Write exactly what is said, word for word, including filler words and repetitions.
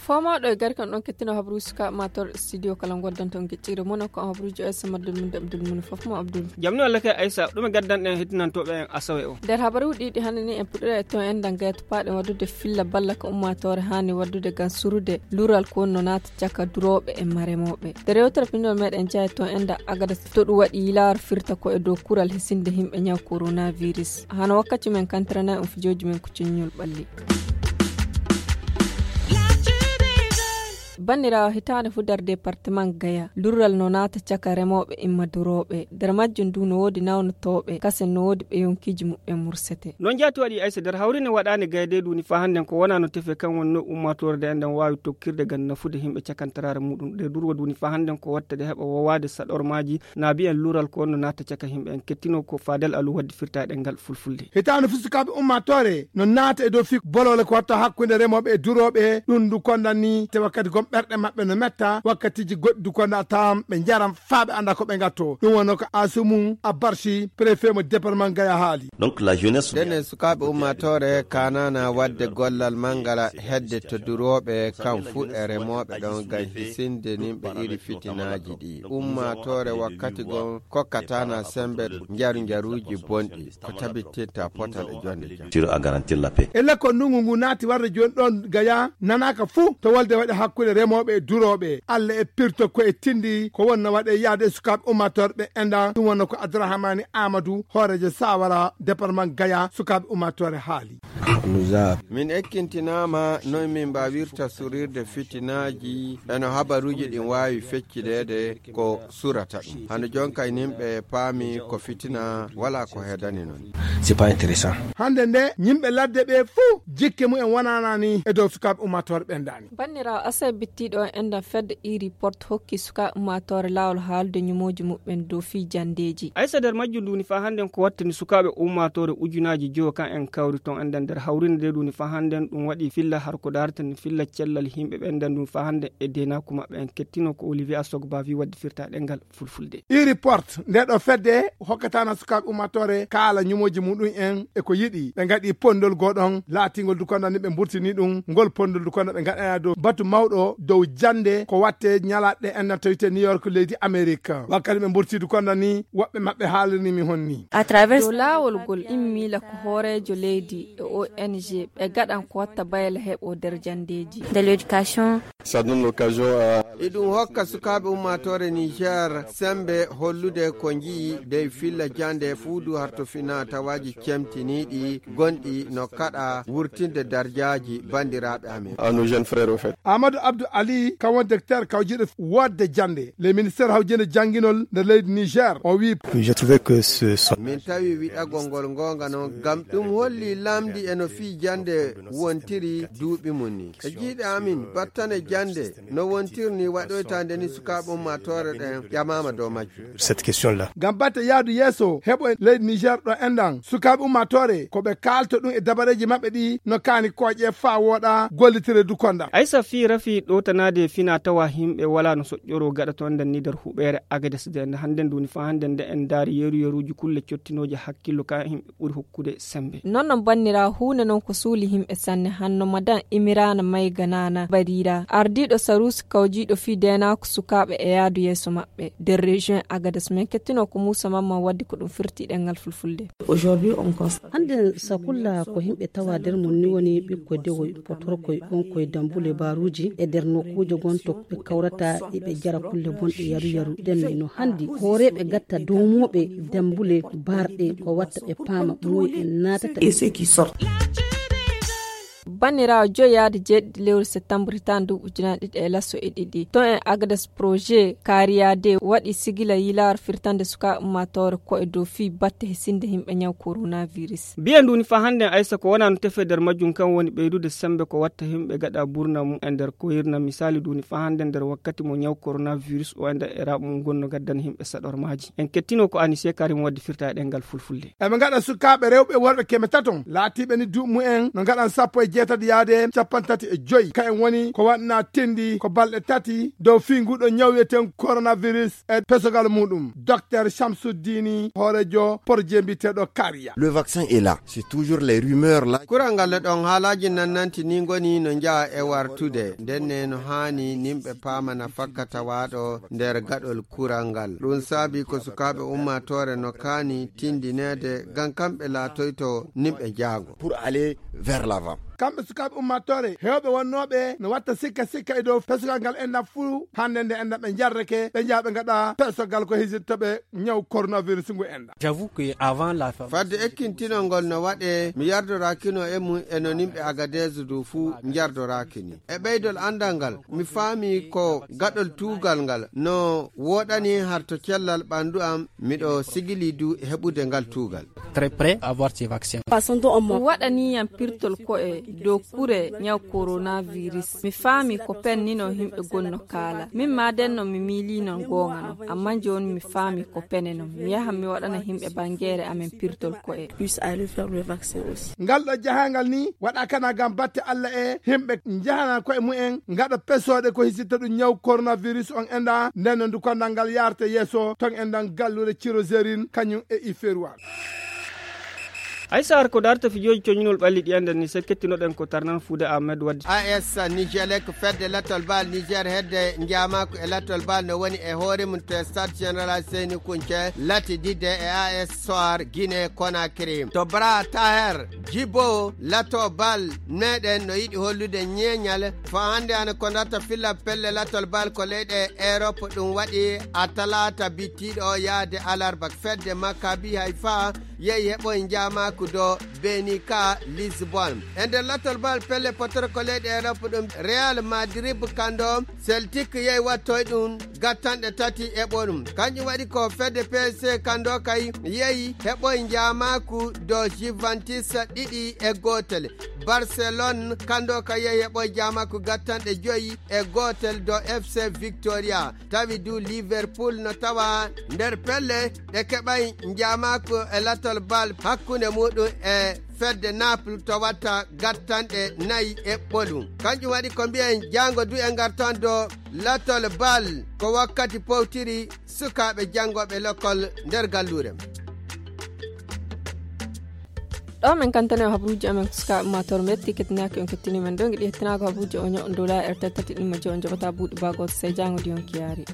Fomooɗo e gari kan ɗon kettino habaruuji suka mator studio kala ngoddanto geccire mono ko habaruuji o s maddul mun abdul mun fof mo abdul. Jamni walla kay aysa ɗum e gaddanɗen heddinantooɓe en asawe o. Nder habaruuji ɗiɗi hannde ni en puɗɗira e ton en dangaya tupaaɗe waɗude filla balla ko ummaatoore haani waɗude ngam surude lural ko wonno naata caka durooɓe e maremooɓe. Nder yewtere pinol meɗen jeya ton en da agada to ɗum waɗi yilaar firta ko e dow kural hisinde himɓe ñaw coronavirus hano wakkati men kantirana on fijooji men ko ciññol ɓalli. Banniraawo, hitaande fuu nder departement gaya lurral no naata caka remooɓe imma durooɓe. Nder majjum ndu no woodi nawnotooɓe kasen no woodi ɓe yonkiiji muɓɓen mursete. Noon jaati waɗi aysa nder hawri ne waɗaani gaya de duuni faa hannden ko wonaa no tefe kan wonno ummaatoore de enɗen waawi tokkirde ngam nafude himɓe cakantaraare muɗum de durwo duuni faa hannden ko watta de heɓa wowaade saɗormaaji na mbiyen lural ko wonno naata caka himɓe en kettino ko faadel alu waddi firta e ɗemngal fulfulde. Hitaande fuu sukaaɓe ummaatoore no naata e dow fii boloole ko watta hakkunde remooɓe e durooɓe ɗum ndu kondan ni te wakkati gom ɓerɗe maɓɓe no metta wakkatiiji goɗɗi ndu konda tawan ɓe njaran faa ɓe annda ko ɓe ngatto ɗum wonno ko asumum abarsi préfet mo département gaya haali. Donc la jeunesse. Ndenne sukaaɓe ummaatoore kanana waɗde gollal mangala hedde to durooɓe kam fuu e remooɓe ɗon ngam hisinde nimɓe iri fitinaaji ɗi ummaatoore wakkati gon kokkatana sembe njaru njaruuji bonɗi ko tabittinta potal e jonde jam. Tiro a garantir la paix. E lekkol ndungu ngu naati warde jooni ɗon gaya nanaaka fuu to wolde waɗi hakkunde remooɓe e durooɓe alla e pirto ko e tindi ko wonno waɗe yaade e sukaaɓe ummaatoore ɓe enɗan ɗum wonno ko abdourahamani amadou hooreejo sawara département gaya sukaaɓe ummaatoore haali. Min ekkintinaama noy min mbaawirta surirde fitinaaji eno habaruuji ɗin waawi feccideede ko surata ɗum hano jonka e nimɓe paami ko fitina wala ko hedani noon. C'est pas intéressant. Hannde nde yimɓe ladde ɓe fuu jikke mumen wonanani e dow sukaaɓe ummaatoore ɓen dani. Banniraawo asay bittiiɗo on enɗan fedde iri porte hokki sukaaɓe ummaatoore laawol haalude ñumooji muɓɓen dow fii janndeeji. Aysa nder majjum duuni faa hannden ko wattani sukaaɓe ummaatoore ujunaaji jowo kan en kawri ton enɗan nder hawrinde nde duuni faa hannden ɗum waɗi filla har ko daartani filla cellal yimɓe ɓen enɗan duuni faa hannden e deenaaku maɓɓe en kettino ko olivier asogba wi waddi firta ɗengal fulfulde. Iri porte nde ɗo fedde hokkatana sukaaɓe ummaatoore kaala ñumooji muɗum en e ko yiɗi ɓe ngaɗi pondol goo ɗon laatingol dukonda ni ɓe mburtini ɗum ngol pondol dukonda ɓe ngaɗana dow batu mawɗo dow jannde ko watte ñalaɗe enɗan tawite new york leydi amérique wakkati ɓe mburti dukonda ni woɓɓe maɓɓe haalirni mi honni. Dow laawol ngol immiila ko hooreejo leydi e ong ɓe gaɗan ko watta bayla heɓo nder janndeeji. De l'éducation. Ça donne l'occasion à. Iɗum hokka sukaaɓe ummaatoore niger sembe hollude ko njiyi dey filla jannde fuu du harto fina tawaaji cemtiniiɗi gonɗi no kaɗa wurtinde darjaaji banndiraaɓe amen. À nos jeunes frères au fait. Amadou abdou ali kam won docteur kawjiɗo woodde jannde le ministère hawjinde jannginol nder leydi niger o wi. Je trouvais que ce. Min tawi wiɗagol ngol ngonga noon ngam ɗum holli lamndi e no fii jannde wontiri duuɓi mum ni e jiiɗe amin battane jannde no wontiri ni waɗoytaande ni sukaaɓe ummaatoore ɗen ƴamaama dow majjum. Cette question là. Ngam batte yaadu yeeso heɓo leydi niger ɗo enɗan sukaaɓe ummaatoore ko ɓe kaalto ɗum e dabareeji maɓɓe ɗi no kaani kooƴe faa wooɗa gollitire dukonda. Aysa fii rafi ɗowtanaade fina tawa yimɓe wala no soƴƴoro gaɗa toon ndenni nder huɓeere agades de nde hannden duuni faa hannden nde en ndaari yeru yeruuji kulle cottinooje hakkillo ka yimɓe ɓuri hokkude sembe. Non non bannira huunde non ko suuli yimɓe sanne hanno madan imirana mayga nana barira ardiiɗo saruusi kawjiiɗo fii deenaako sukaaɓe e yaadu yeeso maɓɓe nder région agades men kettino ko muusa mamman waddi ko ɗum firti ɗengal fulfulde. Aujourd'hui on constate. Hannde sakulla ko yimɓe tawa nder mum ni woni ɓikkoy dewoy potorkoy ɓonkoy dambule baaruuji e nder nokkuuje gonto ɓe kawrata eɓe jara kulle bonɗe yaru yaru ndenne no hanndi hooreeɓe gatta dowmooɓe dambule baarɗe ko watta ɓe paama moy en naatata. Banniraawo joyi yaade jeeɗiɗi lewru septembre hitaande ndu ujunaaji ɗiɗi e lasso e ɗiɗi ton e agades projet kariya de waɗi sigila yilaare firtande sukaaɓe ummaatoore ko e dow fii batte hisinde yimɓe ñaw coronavirus. Mbiyen ndu ni faa hannden aysa ko wonaa no tefe nder majjum kan woni ɓeydude semmbe ko watta yimɓe gaɗa burna mum e nder koyirna misaali ndu ni faa hannden nder wakkati mo ñaw coronavirus o e nder e raaɓo mum ngon no gaddana yimɓe saɗormaaji en kettino ko anise karim waddi firta e ɗenngal fulfulde. Eɓe ngaɗa sukaaɓe rewɓe e worɓe keme taton laatiiɓe ni duuɓi mumen no ngaɗan sappo e jeetati. tati yaade capanɗe tati e joyi. Ka en woni ko waɗna tindi ko balɗe tati dow fii nguɗo ñaw wiyeten coronavirus e pesogal muɗum. Docteur Shamsuddini, hoorejo projet mbiyeteeɗo Kariya. Le vaccin est là. C'est toujours les rumeurs là. Kural ngal ɗon haalaaji nan nanti ni ngoni no njaha e wartude. Nden ne no haani nimɓe paamana fakkata waaɗo nder gaɗol kural ngal. Ɗum saabi ko sukaaɓe ummaatoore no kaani tindineede ngam kamɓe laatoyto nimɓe jaago. Pour aller vers l'avant. Kamɓe sukaaɓe ummaatoore, heewɓe wonnooɓe no watta sikka sikka e dow pesogal ngal enɗam fuu. Hannde nde enɗam ɓe njarreke, ɓe njaha ɓe ngaɗa pesogal ko hisittoɓe ñaw coronavirus ngu enɗam. J'avoue que avant la fin. Fadde ekkintinol ngol no waɗe, mi yardoraakino e mum e no nimɓe Agadez du fuu njardoraakini. E ɓeydol anndal ngal, mi faami ko gaɗol tuugal ngal no wooɗani har to cellal ɓanndu am, miɗo sigili du heɓude ngal tuugal. Très prêt à avoir ces vaccins. Façon dont on m'a. Waɗani yam pirtol ko'e dow kure ñaw coronavirus. Mi faami ko penne non yimɓe gonno kaala. Min ma den non mi miili non goonga non. Amma jooni mi faami ko penne non. Mi yahan mi waɗana yimɓe bangeere amen pirtol ko'e. Puisse aller faire le vaccin aussi. Ngal ɗo jahangal ni waɗa kana ngam batte Allah e yimɓe njahana ko'e mumen ngaɗa pesooɗe ko hisitta ɗum ñaw coronavirus on enɗa. Nden no ndu kondal ngal yaarte yeeso ton enɗan gallure Cirozerin kañum e Iferuwal. Ay sahar ko darta fijooji coñinol ɓalli ɗi annden ni sekkettinoɗen ko tarnan fuude Ahmed Waddi. A S Nigelec fedde lattol bal Niger hedde njaamaako e lattol bal no woni e hoore mum to stade général Seyni Kunce lati didde e A S Soir Guinée Conakry. To Bra Taher Jibo lato bal meɗen no yiɗi hollude ñeeñal fa hannde ana ko darta filla pelle lattol bal ko leyɗe Europe ɗum waɗi a talaata bittiiɗo o yaade alarba fedde Maccabi Haifa yehi heɓoy njaamaaku do Benika Lisbon. E nder lattol bal pelle potoro ko leyɗe Europe ɗum Real Madrid kando Celtic yehi wattoy ɗum gattanɗe tati e ɓoɗum. Kanjum waɗi ko fedde P S G kando kay yehi heɓoy njaamaaku do Juventus ɗiɗi e gootel. Barcelone kando kay yehi heɓoy njaamaaku gattanɗe joyi e gootel do F C Victoria. Tawi du Liverpool no tawa nder pelle ɗe keɓay njaamaaku e lattol bal hakkunde muɗum e fedde Naples to watta gattanɗe nayi e ɓolum. Kanjum waɗi ko mbiyen jaango du e ngartan do lattol bal ko wakkati powtiri sukaaɓe janngooɓe lokkol nder galluure. Ɗo men kantane o habaruuji amen sukaaɓe ummaatoore metti kettinaaki on kettini men ɗo ngiɗi hettinaako habaruuji o ño'o dola e tati ɗimmo jo'o joɓata buuɗi baagoto sey jaango di on kiyaari.